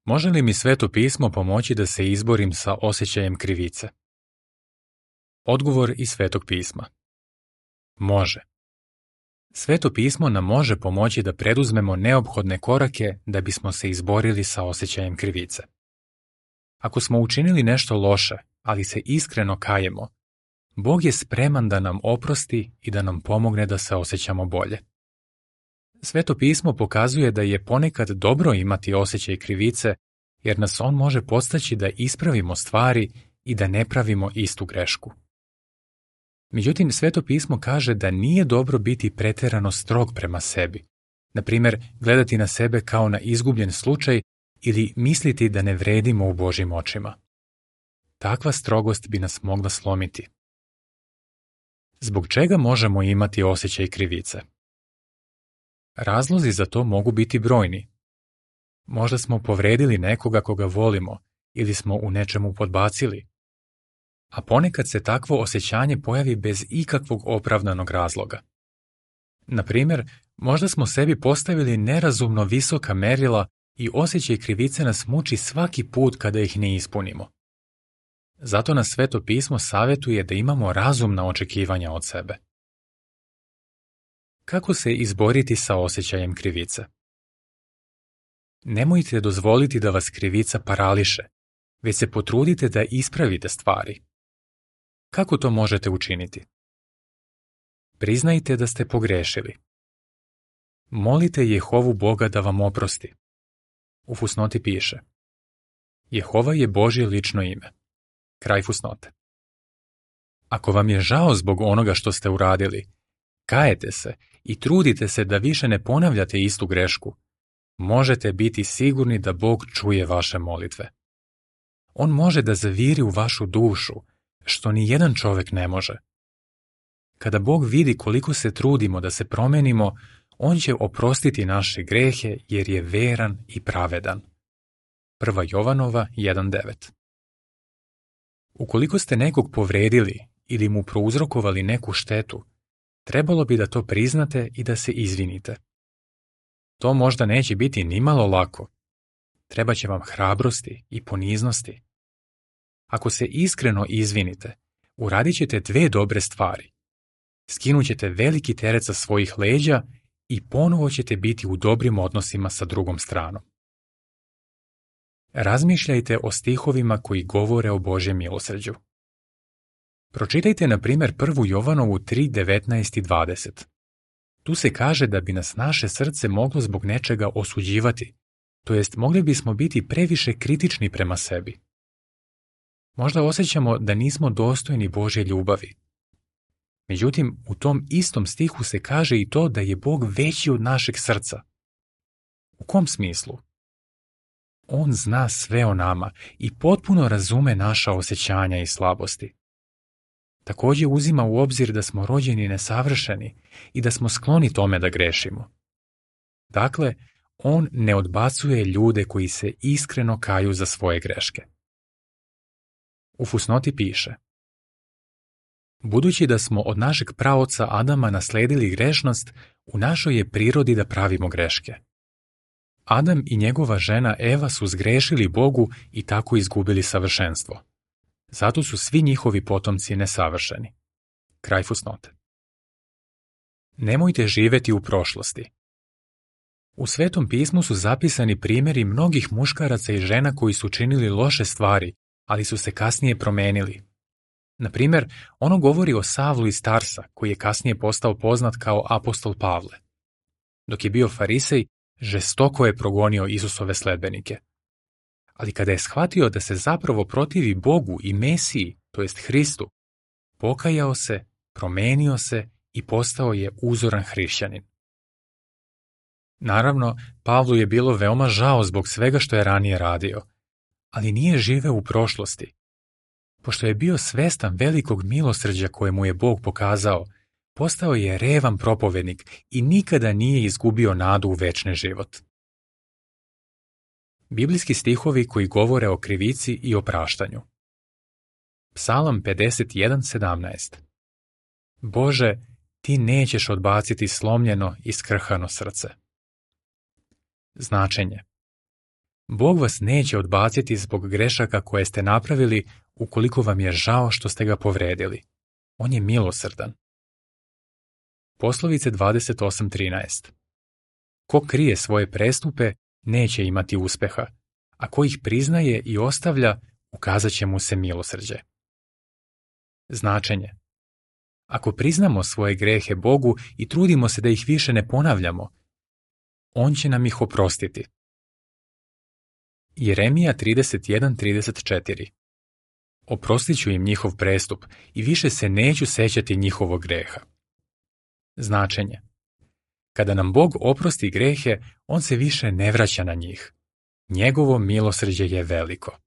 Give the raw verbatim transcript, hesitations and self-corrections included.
Može li mi Sveto pismo pomoći da se izborim sa osjećajem krivice? Odgovor iz Svetog pisma. Može. Sveto pismo nam može pomoći da preduzmemo neophodne korake da bismo se izborili sa osjećajem krivice. Ako smo učinili nešto loše, ali se iskreno kajemo, Bog je spreman da nam oprosti i da nam pomogne da se osjećamo bolje. Sveto pismo pokazuje da je ponekad dobro imati osjećaj krivice, jer nas on može podstaći da ispravimo stvari i da ne pravimo istu grešku. Međutim, Sveto pismo kaže da nije dobro biti preterano strog prema sebi, na primjer gledati na sebe kao na izgubljen slučaj ili misliti da ne vredimo u Božjim očima. Takva strogost bi nas mogla slomiti. Zbog čega možemo imati osjećaj krivice? Razlozi za to mogu biti brojni. Možda smo povredili nekoga koga volimo ili smo u nečemu podbacili. A ponekad se takvo osjećanje pojavi bez ikakvog opravdanog razloga. Na primjer, možda smo sebi postavili nerazumno visoka merila i osjećaj krivice nas muči svaki put kada ih ne ispunimo. Zato nas Sveto pismo savjetuje da imamo razumna očekivanja od sebe. Kako se izboriti sa osjećajem krivice? Nemojte dozvoliti da vas krivica parališe, već se potrudite da ispravite stvari. Kako to možete učiniti? Priznajte da ste pogrešili. Molite Jehovu Boga da vam oprosti. U fusnoti piše: Jehova je Božje lično ime. Kraj fusnote. Ako vam je žao zbog onoga što ste uradili, kajete se i trudite se da više ne ponavljate istu grešku, možete biti sigurni da Bog čuje vaše molitve. On može da zaviri u vašu dušu, što ni jedan čovjek ne može. Kada Bog vidi koliko se trudimo da se promenimo, on će oprostiti naše grehe jer je veran i pravedan. Prva Jovanova jedan devet. Ukoliko ste nekog povredili ili mu prouzrokovali neku štetu, trebalo bi da to priznate i da se izvinite. To možda neće biti nimalo lako. Trebaće vam hrabrosti i poniznosti. Ako se iskreno izvinite, uradit ćete dve dobre stvari. Skinut ćete veliki teret sa svojih leđa i ponovo ćete biti u dobrim odnosima sa drugom stranom. Razmišljajte o stihovima koji govore o Božjem milosrđu. Pročitajte na primjer prvu Jovanovu tri devetnaest i dvadeset. Tu se kaže da bi nas naše srce moglo zbog nečega osuđivati, to jest mogli bismo biti previše kritični prema sebi. Možda osjećamo da nismo dostojni Božje ljubavi. Međutim, u tom istom stihu se kaže i to da je Bog veći od našeg srca. U kom smislu? On zna sve o nama i potpuno razume naša osjećanja i slabosti. Također uzima u obzir da smo rođeni nesavršeni i da smo skloni tome da grešimo. Dakle, on ne odbacuje ljude koji se iskreno kaju za svoje greške. U fusnoti piše: Budući da smo od našeg praoca Adama nasledili grešnost, u našoj je prirodi da pravimo greške. Adam i njegova žena Eva su zgrešili Bogu i tako izgubili savršenstvo. Zato su svi njihovi potomci nesavršeni. Kraj fusnote. Nemojte živjeti u prošlosti. U Svetom pismu su zapisani primjeri mnogih muškaraca i žena koji su činili loše stvari, ali su se kasnije promenili. Na primjer, ono govori o Savlu iz Tarsa, koji je kasnije postao poznat kao apostol Pavle. Dok je bio farisej, žestoko je progonio Isusove sledbenike. Ali kada je shvatio da se zapravo protivi Bogu i Mesiji, to jest Hristu, pokajao se, promenio se i postao je uzoran hrišćanin. Naravno, Pavlu je bilo veoma žao zbog svega što je ranije radio, ali nije živeo u prošlosti. Pošto je bio svestan velikog milosrđa koje mu je Bog pokazao, postao je revan propovednik i nikada nije izgubio nadu u večni život. Biblijski stihovi koji govore o krivici i opraštanju. Psalam pedeset jedan sedamnaest. Bože, ti nećeš odbaciti slomljeno i skrhano srce. Značenje. Bog vas neće odbaciti zbog grešaka koje ste napravili ukoliko vam je žao što ste ga povredili. On je milosrdan. Poslovice dvadeset osam trinaest. Ko krije svoje prestupe, neće imati uspeha, a ko ih priznaje i ostavlja, ukazat će mu se milosrđe. Značenje. Ako priznamo svoje grehe Bogu i trudimo se da ih više ne ponavljamo, On će nam ih oprostiti. Jeremija trideset jedan trideset četiri. Oprostit ću im njihov prestup i više se neću sećati njihovog greha. Značenje. Kada nam Bog oprosti grehe, On se više ne vraća na njih. Njegovo milosrđe je veliko.